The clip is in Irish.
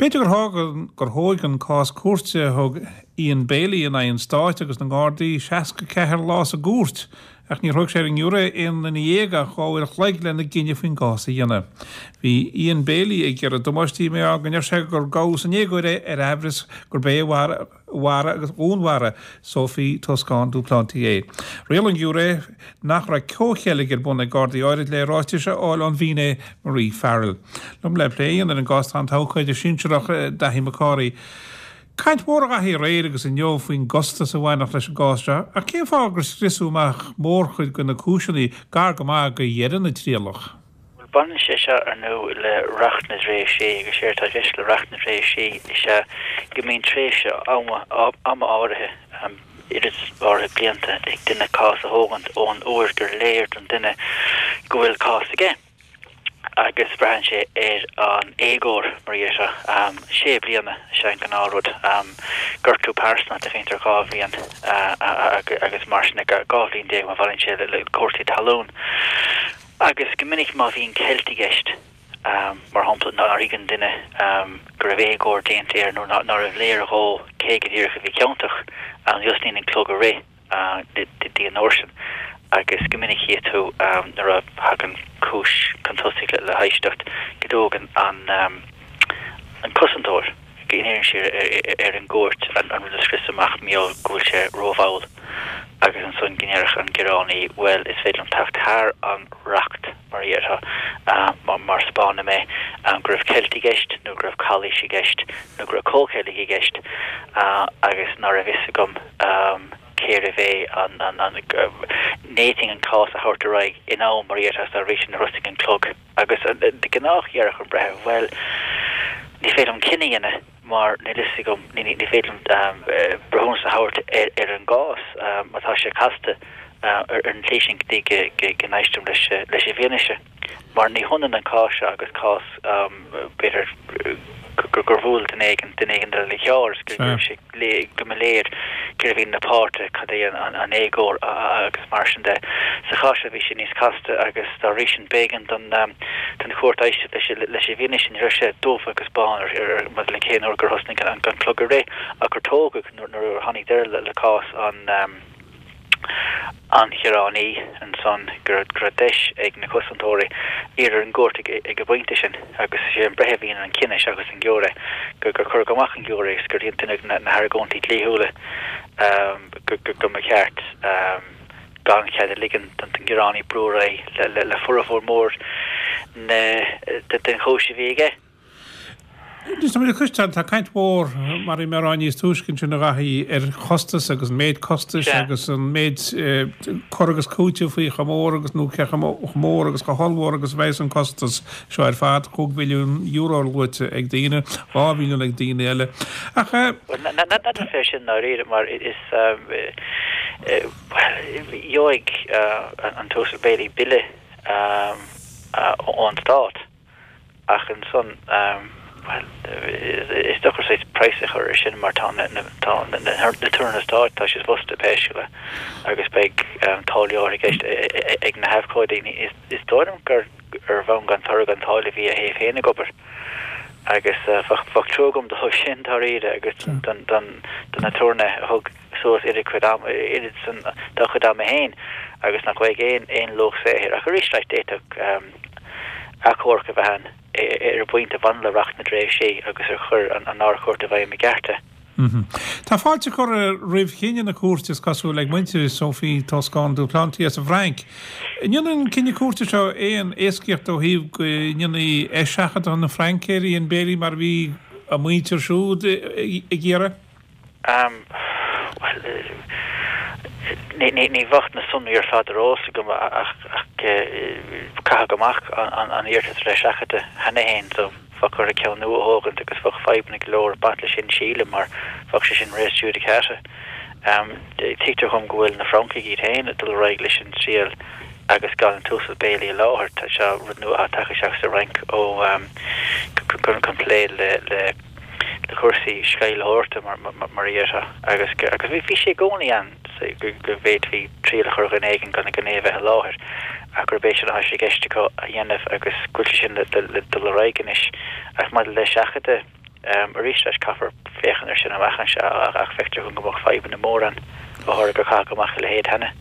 B'fhéidir gur thóg gur thóig an cás cúirte a thug Ian Bailey in aghaidh an Stáit agus na nGardaí 64 lá sa gcúirt, ach níor thóg sé ar an ngiúiré aon duine dhéag ach 2 uair a chloig lena gcinneadh faoin gcás a dhéanamh. Bhí Ian Bailey ag iarraidh damáistí mar gheall go ndeir sé gur gabhadh san éagóir é ar aimhreas gurb é a mharaigh agus dhúnmharaigh Sophie Toscan du Plantier. Rialaigh an giúiré nach raibh comhcheilg ar bun ag Gardaí áirid le ráitis a fháil ón bhfinné Marie Farrell. Liom le plé a dhéanamh ar an gcás tá an t-abhcóide sinsearach Daithí Mac Cárthaigh. Caint mhór a Dhaithí aréir agus inniu faoin gcostas a bhainfeadh leis an gcás seo, ach cén fáth gur scriosadh amach mórchuid de na cúiseanna gar go maith do dheireadh na trialach? Bhuel, baineann sé seo, ar ndóigh, le Reacht na dTréimhsí, agus séard atá i gceist le Reacht na dTréimhsí is ea go mbíonn tréimhse ama, ama áirithe, oiread áirithe blianta, ag duine cás a thógaint ón uair gur léir don duine go bhfuil cás aige. Agus braitheann sé ar an éagóir, mar a déarfá. Sé bliana is ea an gnáthrud. Gortú pearsanta, tá caint ar 2 bhliain agus mar sin, 12 bhliain má bhaineann sé le cúrsaí talún. Agus go minic má bhíonn ceilt i gceist, mar shampla, nár thuig an duine go raibh éagóir déanta air nó nárbh léir dhó cé go díreach a bhí ciontach, ní thosnaíonn an clog ag rith go dtí an uair sin. Agus go minic chífidh tú nuair a thagann cúis chun tosaigh le héisteacht go dtógann an cosantóir, go n-iarrann sé ar an gcúirt an rud a scrios amach mar gheall go bhfuil sé rómhall agus ansan go ndéarfadh an gearánaí bhuel is féidir liom teacht thar an reacht mar a déarfá mar 'spáinfidh mé go raibh ceilt i gceist nó go raibh calaois i gceist nó go raibh comhcheilg i gceist agus ná raibh fhios agam cérbh é an an n'fhéadfainn an cás a thabhairt ar aghaidh in am mar a déarfá dá bhrí sin thosaigh an clog. Agus de ghnáth dhéarfadh an breitheamh, bhuel, ní féidir liom cinneadh a dhéanamh mar níl fhios agam, ní féidir liom breithiúnas a thabhairt ar an gcás mar tá sé casta ar an tslí sin go dtí go n-éistim leis an bhfianaise. Mar ní hionann an cás seo agus cás, b'fhéidir, gur bhuail duine éigin duine éigin eile le carr is go raibh sé go mba léir cérbh iad na páirtithe, cad é an éagóir agus mar sin de. Sa chás seo bhí sé níos casta agus dá bhrí sin b'éigean don chúirt éisteacht leis an bhfianaise. Ní raibh sé dubh agus bán maidir le cén uair gur thosnaigh an clog ag rith ach gur tógadh nuair a tháinig deireadh le cás an an ghearánaí ansan go raibh deis ag na cosantóirí iarraidh ar an gcúirt ag an bpointe sin, agus is é an breitheamh a dhéanann an cinneadh seachas an giúiré, gur cuireadh amach an giúiré agus gur deineadh na hargóintí dlíthiúla go mba cheart gan cead a ligean don ghearánaí brú ar aghaidh le formhór mór den chúis a bhí aige. Anois tá muid ag cloisteáil, tá caint mhór, mar a bhí mé a rá níos túisce ansin a Dhaithí, ar chostas agus an méid costais agus an méid cur agus cúiteamh faoi chomh mór agus nó cé chomh mór agus chomh hollmhór agus a bheas an costas seo ar fad, €5 mhilliún luaite ag daoine, 2 mhilliún ag daoine eile. Ach. Bhuel, n'fheadar fé sin ndáiríre mar is, bhuel, gheobhaidh an tUasal Bailey bille ón Stát. Ach ansan, bhuel, is deacair saghas praghas a chur ar sin mar tá na haturnaetha stáit, tá siad fostaithe pé scéal é agus beidh táillí áirithe i gceist ag na habhcóidí. Is dóigh liom gur ar bhonn gan toradh gan táille a bhí a thaobh féin ag obair agus bheadh trua agam dóibh sin dáiríre agus don aturnae a thug suas oiread cuid ama, oiread san dá chuid ama féin agus nach bhfaighidh aon aon luach saothair. Ach arís, like, d'fhéadfadh achomharc a bheith ann ar an bpointe a bhaineann le Reacht na dTréimhsí agus ar chuir an Ard-Chúirt i bhfeidhm i gceart é. Tá fáilte curtha roimh chinneadh na cúirte, is cosúil, ag muintir Sophie Toscan du Plantier sa bhFrainc. An ndéanann an cinneadh cúirte seo aon éascaíocht ó thaobh go ndéanfaí eiseachadadh chun na Fraince ar Ian Bailey mar a bhí a mhuintir siúd ag iarraidh? Bhuel, ní bheadh na sonraí ar fad ar eolas agam ach caitheadh amach an iarratas ar eiseachadadh cheana féin so bheadh orthu ceann nua a thógaint agus bheadh fadhbanna go leor ag baint leis sin sílim mar bheadh sé sin res judicata. Tuigtear dhom go bhfuil na Francaigh iad féin ag dul ar aghaidh leis an triail agus gan an tUasal Bailey i láthair. Tá seo rud nua atá tagtha isteach sa Fhrainc ó chun plé le le cúrsaí sceimhlitheoireachta mar a déarfá agus agus bhí sé i gcónaí ann go bhféadfaí triail a chur ar dhuine éigin gan gan é a bheith i láthair ach gurb é sin atá sé i gceist acu a dhéanamh agus go bhfuil sé sin le dul ar aghaidh anois. Ach maidir le seachadadh. Arís leis, caithfear féachaint air sin amach anseo ach feictear dom go mbeadh fadhbanna móra ann, go háirithe gur caitheadh amach a leithéid cheana.